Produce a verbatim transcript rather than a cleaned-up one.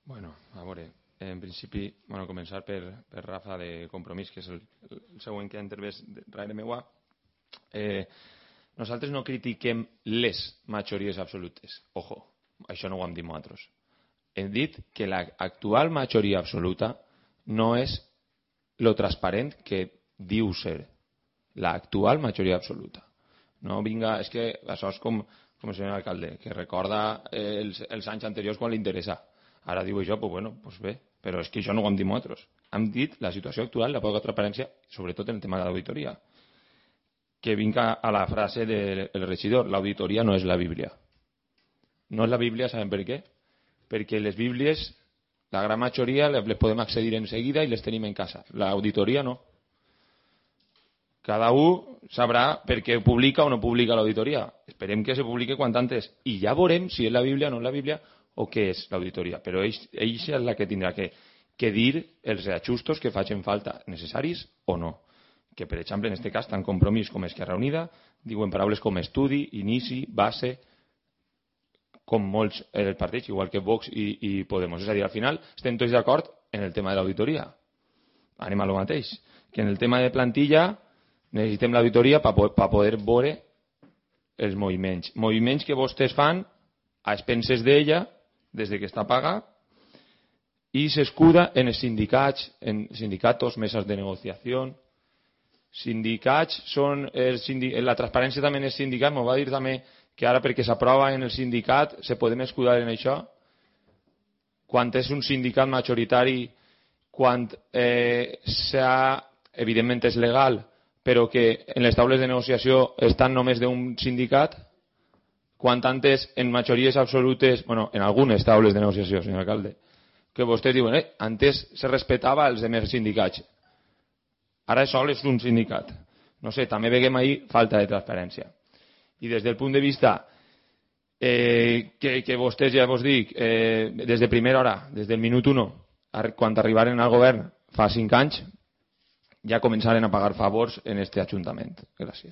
Bueno, a veure, en principi, bueno, començar per, per Rafa de Compromís, que és el, el següent que ha intervès darrere meua. Eh, nosaltres no critiquem les majories absolutes. Ojo, això no ho hem dit nosaltres. Hem dit que l'actual majoria absoluta no és lo transparent que diu ser. L'actual majoria absoluta. No vinga, és que això és com, com el senyor alcalde, que recorda eh, els, els anys anteriors quan li interessa. Ara diu això, pues bueno, pues bé, però és que això no ho hem dit nosaltres. Hem dit la situació actual, la poca transparència, sobretot en el tema de l'auditoria. Que vinga a la frase del regidor, l'auditoria no és la Bíblia. No és la Bíblia, sabem per què? Perquè les Bíblies, la gran majoria, les podem accedir en seguida i les tenim en casa. L'auditoria no. Cada un sabrà per què publica o no publica l'auditoria. Esperem que se publique quant antes. I ja veurem si és la Bíblia o no és la Bíblia o què és l'auditoria. Però ell, ell és la que tindrà que, que dir els reajustos que facin falta necessaris o no. Que, per exemple, en aquest cas, tant Compromís com Esquerra Unida diuen paraules com estudi, inici, base, com molts els partits, igual que Vox i, i Podemos. És a dir, al final estem tots d'acord en el tema de l'auditoria. Anem a lo mateix. Que en el tema de plantilla necessitem l'auditoria per pa poder veure els moviments. Moviments que vostès fan a expenses d'ella, des de que està paga, i s'escuda en els sindicats, en sindicatos, mesas de negociació. Sindicats són... El sindic... La transparència també en els sindicats, m'ho va dir també que ara perquè s'aprova en el sindicat se podem escudar en això. Quan és un sindicat majoritari, quan eh, s'ha... evidentment és legal, però que en les taules de negociació estan només d'un sindicat, quan antes en majories absolutes, bueno, en algunes taules de negociació, senyor alcalde, que vostès diuen, eh, antes se respetava els demés sindicats. Ara sol és un sindicat. No sé, també veiem ahí falta de transparència. I des del punt de vista eh, que, que vostès, ja vos dic, eh, des de primera hora, des del minut uno, quan arribaren al govern fa cinc anys, ja començaren a pagar favors en este ajuntament. Gràcies.